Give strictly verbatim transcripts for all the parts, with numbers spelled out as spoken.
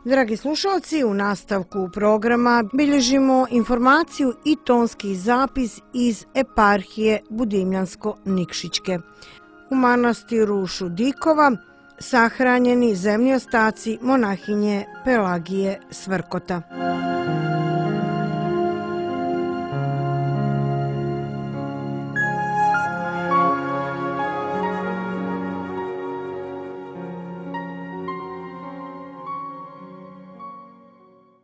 Dragi slušalci, u nastavku programa bilježimo informaciju i tonski zapis iz eparhije Budimljansko-Nikšićke. U manastiru Šudikova sahranjeni zemlji ostaci monahinje Pelagije Svrkota.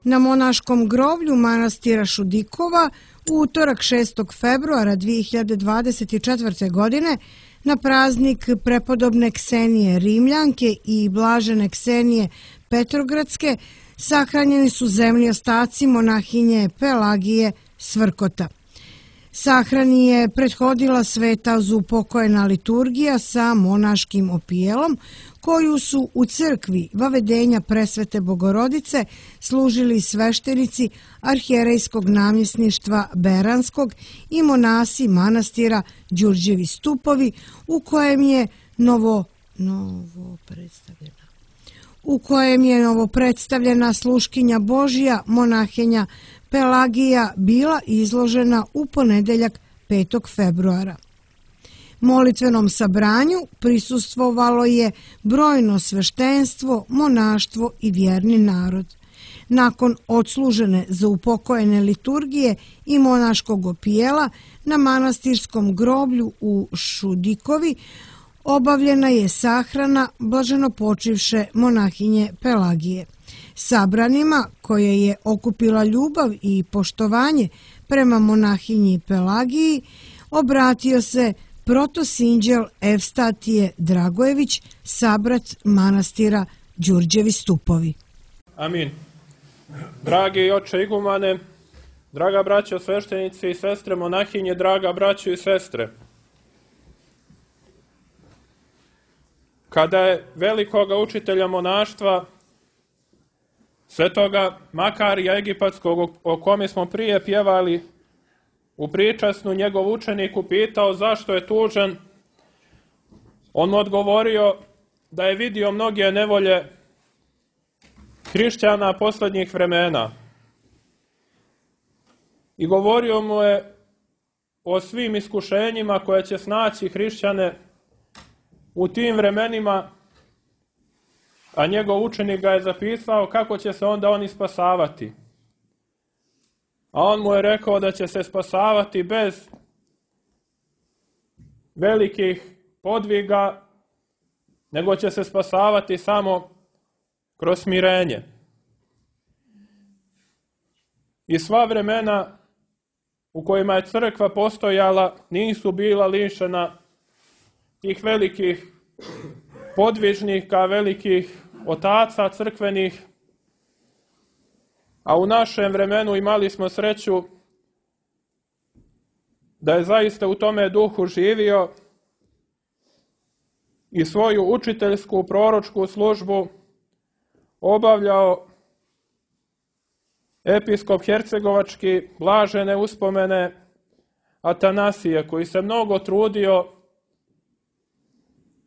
Na monaškom groblju manastira Šudikova u utorak šestog februara dvije hiljade dvadeset četvrte. godine na praznik prepodobne Ksenije Rimljanke i blažene Ksenije Petrogradske sahranjeni su zemlji ostaci monahinje Pelagije Svrkota. Sahrani je prethodila sveta zaupokojena liturgija sa monaškim opijelom, koju su u crkvi Vavedenja Presvete Bogorodice služili sveštenici arhijerejskog namjesništva Beranskog i monasi manastira Đurđevi Stupovi, u kojem je novo, novo predstavljena u kojem je novo predstavljena sluškinja Božja monahinja Pelagija bila izložena u ponedeljak petog februara. Molitvenom sabranju prisustvovalo je brojno sveštenstvo, monaštvo i vjerni narod. Nakon odslužene zaupokojene liturgije i monaškog opijela na manastirskom groblju u Šudikovi obavljena je sahrana blaženopočivše monahinje Pelagije. Sabranima, koje je okupila ljubav i poštovanje prema monahinji Pelagiji, obratio se protosinđel Evstatije Dragojević, sabrat manastira Đurđevi Stupovi. Amin. Dragi oče igumane, draga braćo sveštenici i sestre monahinje, draga braćo i sestre. Kada je velikoga učitelja monaštva, svetoga Makarija Egipatskog, o kome smo prije pjevali u pričasnu, njegov učenik upitao zašto je tužan, on mu odgovorio da je vidio mnoge nevolje hrišćana posljednjih vremena. I govorio mu je o svim iskušenjima koje će snaći hrišćane u tim vremenima, a njegov učenik ga je zapisao kako će se onda oni spasavati. A on mu je rekao da će se spasavati bez velikih podviga, nego će se spasavati samo kroz smirenje. I sva vremena u kojima je crkva postojala nisu bila lišena tih velikih podvižnika, velikih otaca crkvenih, a u našem vremenu imali smo sreću da je zaista u tome duhu živio i svoju učiteljsku proročku službu obavljao episkop hercegovački blažene uspomene Atanasije, koji se mnogo trudio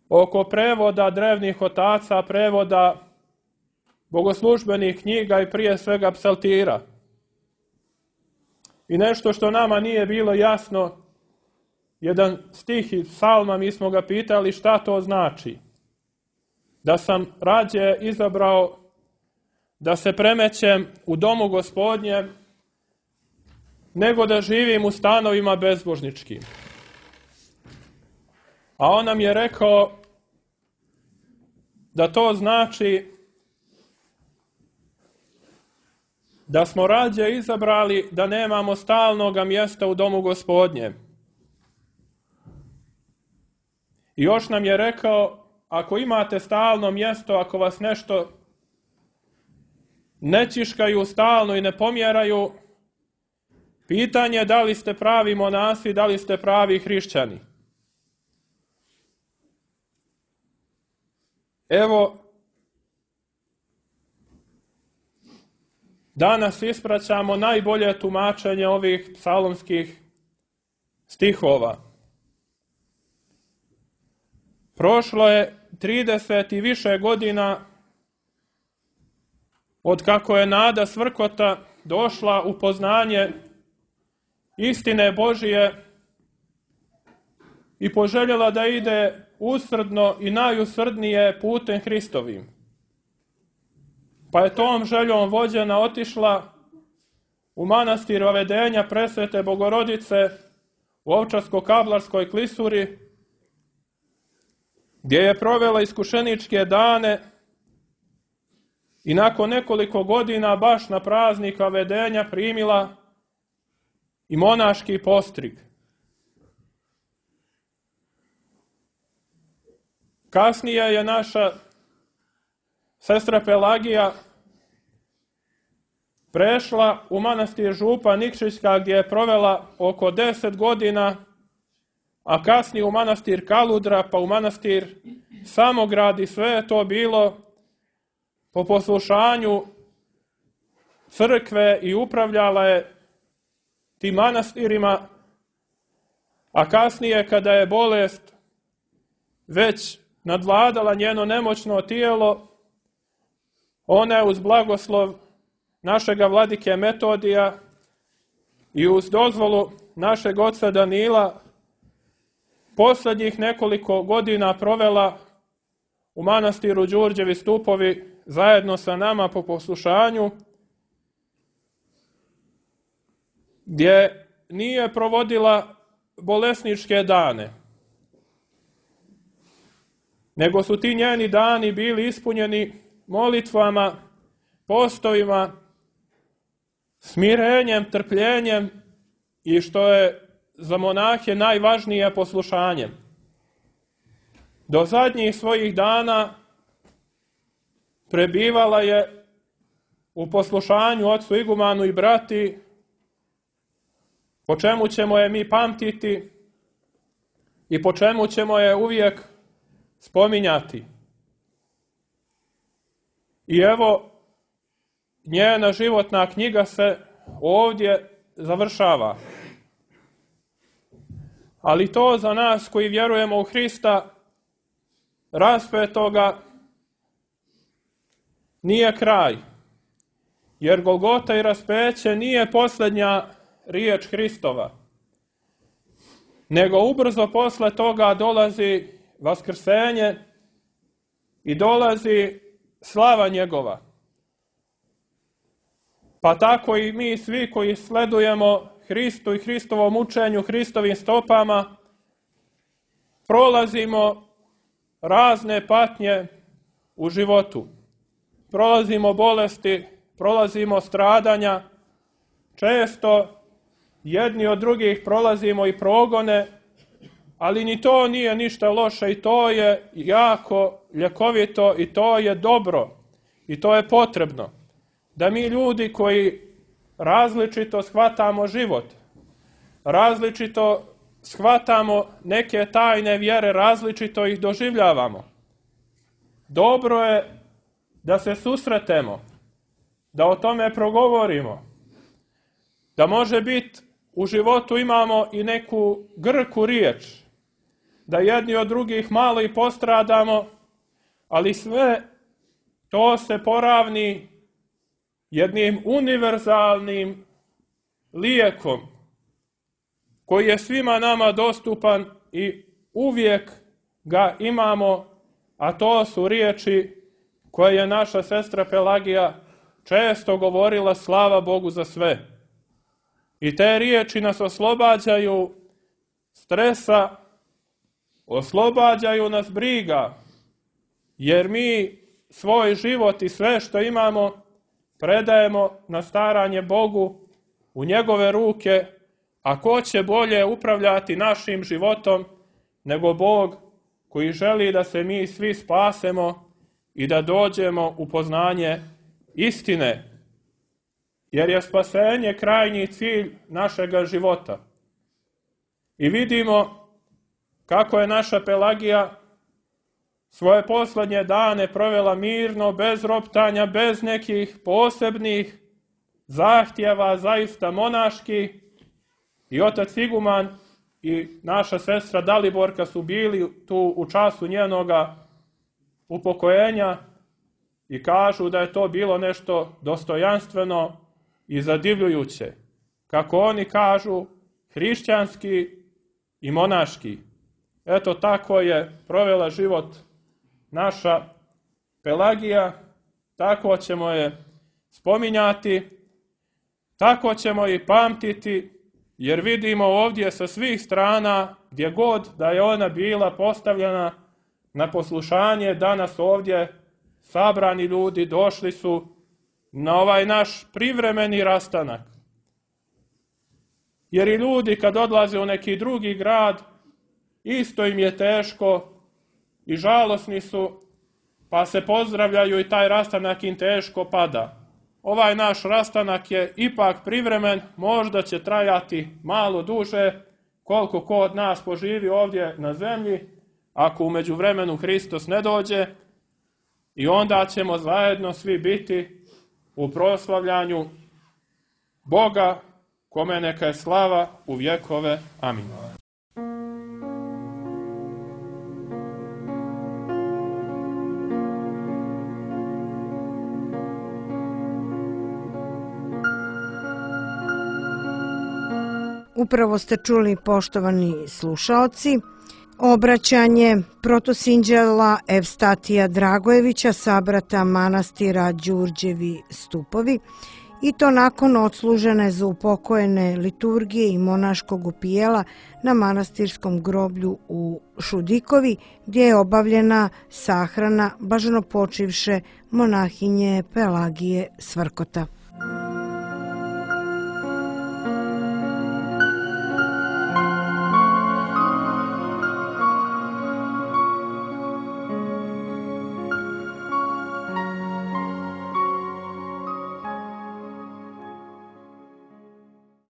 oko prevoda drevnih otaca, prevoda bogoslužbenih knjiga i prije svega psaltira. I nešto što nama nije bilo jasno, jedan stih iz psalma, mi smo ga pitali šta to znači. Da sam rađe izabrao da se premećem u domu Gospodnjem, nego da živim u stanovima bezbožničkim. A on nam je rekao da to znači da smo rađe izabrali da nemamo stalnoga mjesta u domu Gospodnjem. I još nam je rekao, ako imate stalno mjesto, ako vas nešto ne čiškaju stalno i ne pomjeraju, pitanje je da li ste pravi monasi, da li ste pravi hrišćani. Evo, danas ispraćamo najbolje tumačenje ovih psalmskih stihova. Prošlo je trideset i više godina od kako je Nada Svrkota došla u poznanje istine Božije i poželjela da ide usrdno i najusrdnije putem Hristovim. Pa je tom željom vođena otišla u manastir Vavedenja Presvete Bogorodice u Ovčarsko-Kablarskoj klisuri, gdje je provela iskušeničke dane i nakon nekoliko godina baš na praznik Vavedenja primila i monaški postrig. Kasnije je naša sestra Pelagija prešla u manastir Župa Nikšićka, gdje je provela oko deset godina, a kasnije u manastir Kaludra, pa u manastir Samograd, i sve je to bilo po poslušanju crkve i upravljala je tim manastirima, a kasnije kada je bolest već nadvladala njeno nemoćno tijelo, ona je uz blagoslov našega vladike Metodija i uz dozvolu našeg oca Danila posljednjih nekoliko godina provela u manastiru Đurđevi stupovi zajedno sa nama po poslušanju, gdje nije provodila bolesničke dane, nego su ti njeni dani bili ispunjeni molitvama, postovima, smirenjem, trpljenjem i, što je za monahe najvažnije, poslušanjem. Do zadnjih svojih dana prebivala je u poslušanju ocu igumanu i brati, po čemu ćemo je mi pamtiti i po čemu ćemo je uvijek spominjati. I evo, njena životna knjiga se ovdje završava. Ali to za nas koji vjerujemo u Hrista raspetoga nije kraj, jer Golgota i raspeće nije posljednja riječ Hristova, nego ubrzo posle toga dolazi vaskrsenje i dolazi slava njegova. Pa tako i mi svi koji sledujemo Hristu i Hristovom učenju, Hristovim stopama, prolazimo razne patnje u životu. Prolazimo bolesti, prolazimo stradanja, često jedni od drugih prolazimo i progone, ali ni to nije ništa loše i to je jako ljekovito i to je dobro i to je potrebno. Da mi ljudi koji različito shvatamo život, različito shvatamo neke tajne vjere, različito ih doživljavamo. Dobro je da se susretemo, da o tome progovorimo, da može biti u životu imamo i neku grku riječ, da jedni od drugih malo i postradamo, ali sve to se poravni jednim univerzalnim lijekom koji je svima nama dostupan i uvijek ga imamo, a to su riječi koje je naša sestra Pelagija često govorila: slava Bogu za sve. I te riječi nas oslobađaju stresa, oslobađaju nas briga, jer mi svoj život i sve što imamo predajemo na staranje Bogu u njegove ruke, a ko će bolje upravljati našim životom nego Bog koji želi da se mi svi spasemo i da dođemo u poznanje istine, jer je spasenje krajnji cilj našega života. I vidimo kako je naša Pelagija svoje posljednje dane provela mirno, bez roptanja, bez nekih posebnih zahtjeva, zaista monaški. I otac iguman i naša sestra Daliborka su bili tu u času njenoga upokojenja i kažu da je to bilo nešto dostojanstveno i zadivljujuće. Kako oni kažu, hrišćanski i monaški. Eto tako je provela život naša Pelagija, tako ćemo je spominjati, tako ćemo i pamtiti, jer vidimo ovdje sa svih strana, gdje god da je ona bila postavljena na poslušanje, danas ovdje sabrani ljudi došli su na ovaj naš privremeni rastanak. Jer i ljudi kad odlaze u neki drugi grad, isto im je teško i žalosni su, pa se pozdravljaju i taj rastanak im teško pada. Ovaj naš rastanak je ipak privremen, možda će trajati malo duže, koliko ko od nas poživi ovdje na zemlji, ako u međuvremenu Hristos ne dođe, i onda ćemo zajedno svi biti u proslavljanju Boga, kome neka je slava u vjekove. Amin. Upravo ste čuli, poštovani slušaoci, obraćanje protosinđela Evstatija Dragojevića, sabrata manastira Đurđevi stupovi, i to nakon odslužene za upokojene liturgije i monaškog upijela na manastirskom groblju u Šudikovi, gdje je obavljena sahrana blaženopočivše monahinje Pelagije Svrkota.